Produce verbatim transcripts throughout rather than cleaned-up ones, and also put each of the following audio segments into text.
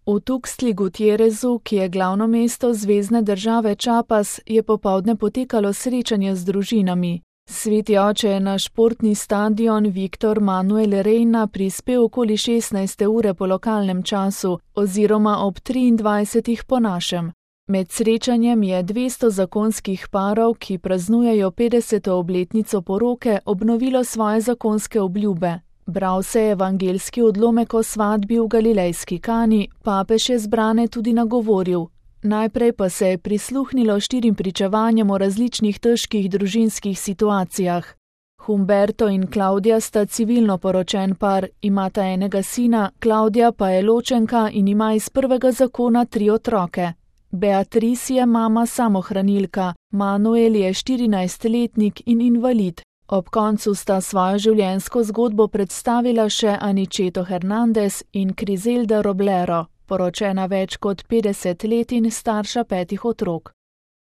V Tuxtli Gutierrezu, ki je glavno mesto zvezne države Chiapas, je popoldne potekalo srečanje z družinami. Sveti oče je na športni stadion Victor Manuel Reina prispel okoli šestnajste ure po lokalnem času oziroma ob triindvajsetih po našem. Med srečanjem je dvesto zakonskih parov, ki praznujejo petdeseto obletnico poroke, obnovilo svoje zakonske obljube. Bral se je evangeljski odlomek o svatbi v galilejski Kani, papež je zbrane tudi nagovoril. Najprej pa se je prisluhnilo štirim pričevanjem o različnih težkih družinskih situacijah. Humberto in Klaudija sta civilno poročen par, imata enega sina, Klaudija pa je ločenka in ima iz prvega zakona tri otroke. Beatrice je mama samohranilka, Manuel je štirinajstletnik in invalid. Ob koncu sta svojo življenjsko zgodbo predstavila še Aniceto Hernandez in Criselda Roblero, poročena več kot petdeset let in starša petih otrok.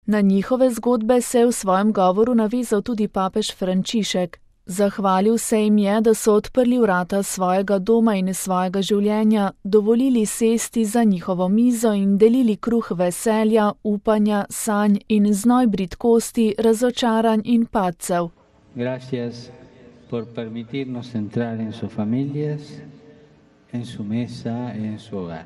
Na njihove zgodbe se je v svojem govoru navezal tudi papež Frančišek. Zahvalil se jim je, da so odprli vrata svojega doma in svojega življenja, dovolili sesti za njihovo mizo in delili kruh veselja, upanja, sanj in znoj bridkosti, razočaranj in padcev. Gracias por permitirnos entrar en sus familias, en su mesa, en su hogar.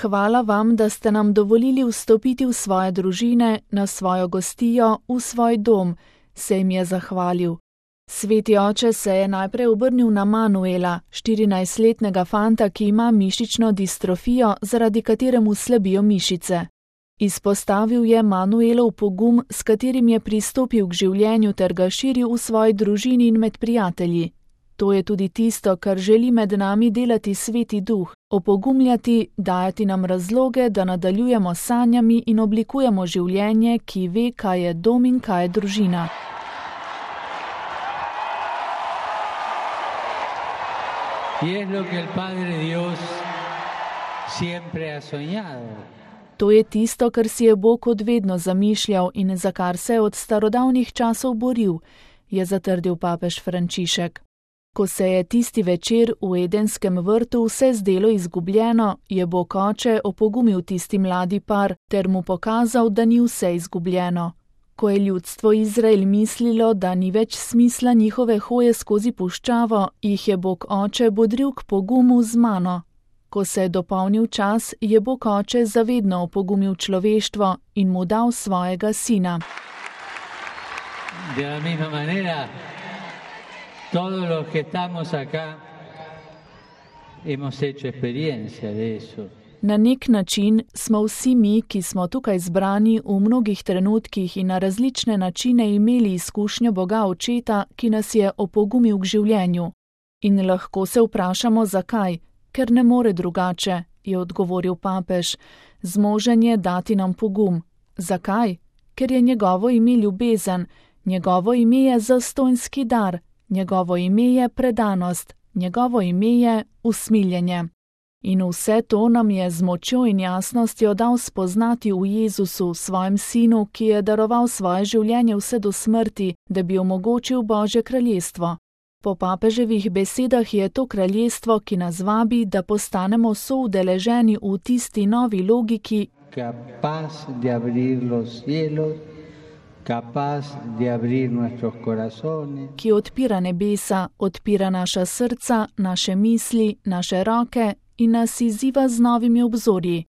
Hvala vam, da ste nam dovolili vstopiti v svoje družine, na svojo gostijo, v svoj dom, se jim je zahvalil. Sveti oče se je najprej obrnil na Manuela, štirinajstletnega fanta, ki ima mišično distrofijo, zaradi katere mu slabijo mišice. Izpostavil je Manuelov pogum, s katerim je pristopil k življenju ter ga širil v svoji družini in med prijatelji. To je tudi tisto, kar želi med nami delati Sveti Duh, opogumljati, dajati nam razloge, da nadaljujemo sanjami in oblikujemo življenje, ki ve, kaj je dom in kaj je družina. Y es lo que el Padre Dios siempre ha soñado. To je tisto, kar si je Bog od vedno zamišljal in za kar se je od starodavnih časov boril, je zatrdil papež Frančišek. Ko se je tisti večer v Edenskem vrtu vse zdelo izgubljeno, je Bog oče opogumil tisti mladi par ter mu pokazal, da ni vse izgubljeno. Ko je ljudstvo Izrael mislilo, da ni več smisla njihove hoje skozi puščavo, jih je Bog oče bodril k pogumu z mano. Ko se je dopolnil čas, je Bog oče zavedno opogumil človeštvo in mu dal svojega sina. De la misma manera, todos los que estamos acá hemos hecho experiencia de eso. Na nek način smo vsi mi, ki smo tukaj zbrani, v mnogih trenutkih in na različne načine imeli izkušnjo Boga Očeta, ki nas je opogumil k življenju. In lahko se vprašamo, zakaj. Ker ne more drugače, je odgovoril papež. Zmožen je dati nam pogum. Zakaj? Ker je njegovo ime ljubezen, njegovo ime je zastonjski dar, njegovo ime je predanost, njegovo ime je usmiljenje. In vse to nam je z močjo in jasnostjo dal spoznati v Jezusu, svojem sinu, ki je daroval svoje življenje vse do smrti, da bi omogočil Božje kraljestvo. Po papeževih besedah je to kraljestvo, ki nas vabi, da postanemo soudeleženi v tisti novi logiki, capaz de abrir los cielos, capaz de abrir nuestros corazones, ki odpira nebesa, odpira naša srca, naše misli, naše roke in nas izziva z novimi obzorji.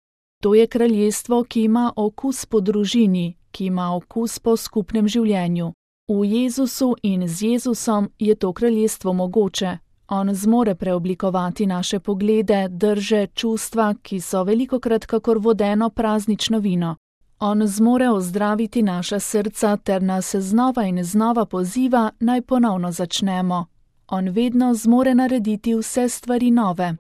To je kraljestvo, ki ima okus po družini, ki ima okus po skupnem življenju. V Jezusu in z Jezusom je to kraljestvo mogoče. On zmore preoblikovati naše poglede, drže, čustva, ki so velikokrat kakor vodeno praznično vino. On zmore ozdraviti naša srca ter nas znova in znova poziva, naj ponovno začnemo. On vedno zmore narediti vse stvari nove.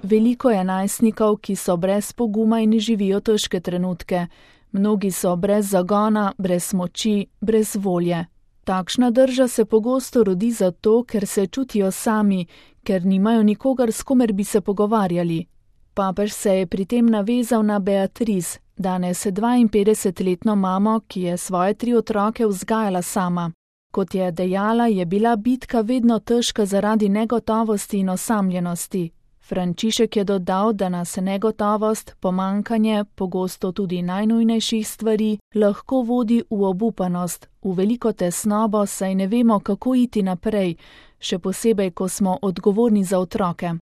Veliko je najstnikov, ki so brez poguma in živijo težke trenutke. Mnogi so brez zagona, brez moči, brez volje. Takšna drža se pogosto rodi zato, ker se čutijo sami, ker nimajo nikogar, s komer bi se pogovarjali. Papež se je pri tem navezal na Beatrice, danes dvainpetdesetletno mamo, ki je svoje tri otroke vzgajala sama. Kot je dejala, je bila bitka vedno težka zaradi negotovosti in osamljenosti. Frančišek je dodal, da nas negotovost, pomanjkanje, pogosto tudi najnujnejših stvari, lahko vodi v obupanost, v veliko tesnobo, saj ne vemo, kako iti naprej, še posebej, ko smo odgovorni za otroke.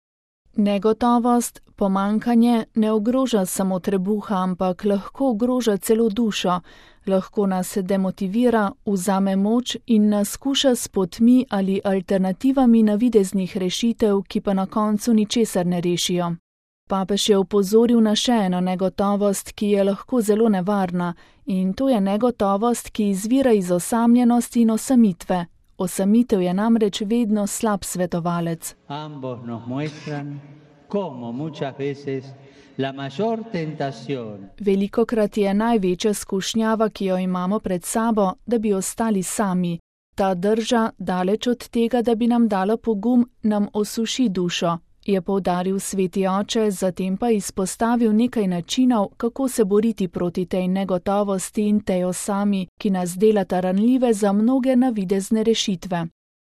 Negotovost, pomanjkanje ne ogroža samo trebuha, ampak lahko ogroža celo dušo, lahko nas demotivira, vzame moč in nas skuša s potmi ali alternativami navideznih rešitev, ki pa na koncu ničesar ne rešijo. Papež je opozoril na še eno negotovost, ki je lahko zelo nevarna, in to je negotovost, ki izvira iz osamljenosti in osamitve. Osamitev je namreč vedno slab svetovalec. Velikokrat je največja skušnjava, ki jo imamo pred sabo, da bi ostali sami. Ta drža, daleč od tega, da bi nam dala pogum, nam osuši dušo, je poudaril sveti oče, zatem pa izpostavil nekaj načinov, kako se boriti proti tej negotovosti in tej osami, ki nas delata ranljive za mnoge navidezne rešitve.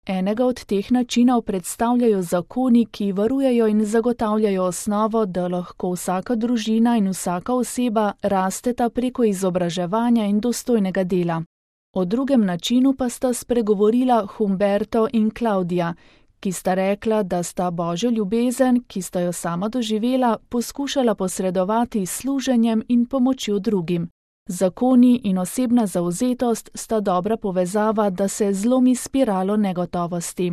Enega od teh načinov predstavljajo zakoni, ki varujejo in zagotavljajo osnovo, da lahko vsaka družina in vsaka oseba rasteta preko izobraževanja in dostojnega dela. O drugem načinu pa sta spregovorila Humberto in Klaudija, ki sta rekla, da sta Božjo ljubezen, ki sta jo sama doživela, poskušala posredovati s služenjem in pomočjo drugim. Zakoni in osebna zavzetost sta dobra povezava, da se zlomi spiralo negotovosti.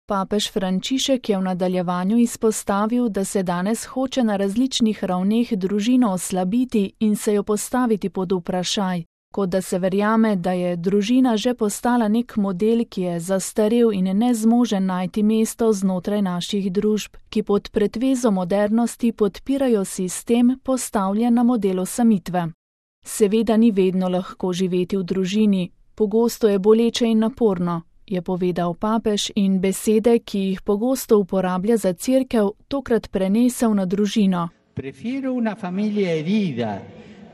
Papež Frančišek je v nadaljevanju izpostavil, da se danes hoče na različnih ravneh družino oslabiti in se jo postaviti pod vprašaj, kot da se verjame, da je družina že postala nek model, ki je zastarel in nezmožen najti mesto znotraj naših družb, ki pod pretvezo modernosti podpirajo sistem, postavljen na modelu samitve. Seveda ni vedno lahko živeti v družini, pogosto je boleče in naporno, je povedal papež in besede, ki jih pogosto uporablja za cerkev, tokrat prenesel na družino. Prefiero una familia herida,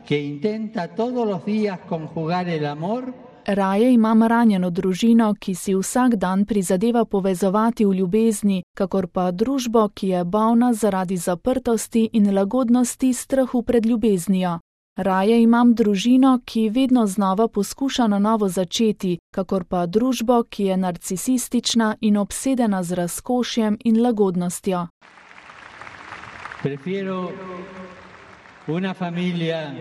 que intenta todos los días conjugar el amor. Raje imam ranjeno družino, ki si vsak dan prizadeva povezovati v ljubezni, kakor pa družbo, ki je bolna zaradi zaprtosti in lagodnosti strahu pred ljubeznijo. Raje imam družino, ki vedno znova poskuša na novo začeti, kakor pa družbo, ki je narcisistična in obsedena z razkošjem in lagodnostjo. Prefiero una familia.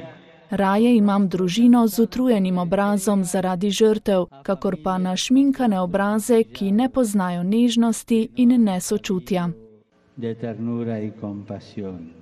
Raje imam družino z utrujenim obrazom zaradi žrtev, kakor pa našminkane obraze, ki ne poznajo nežnosti in nesočutja. De ternura y compasión.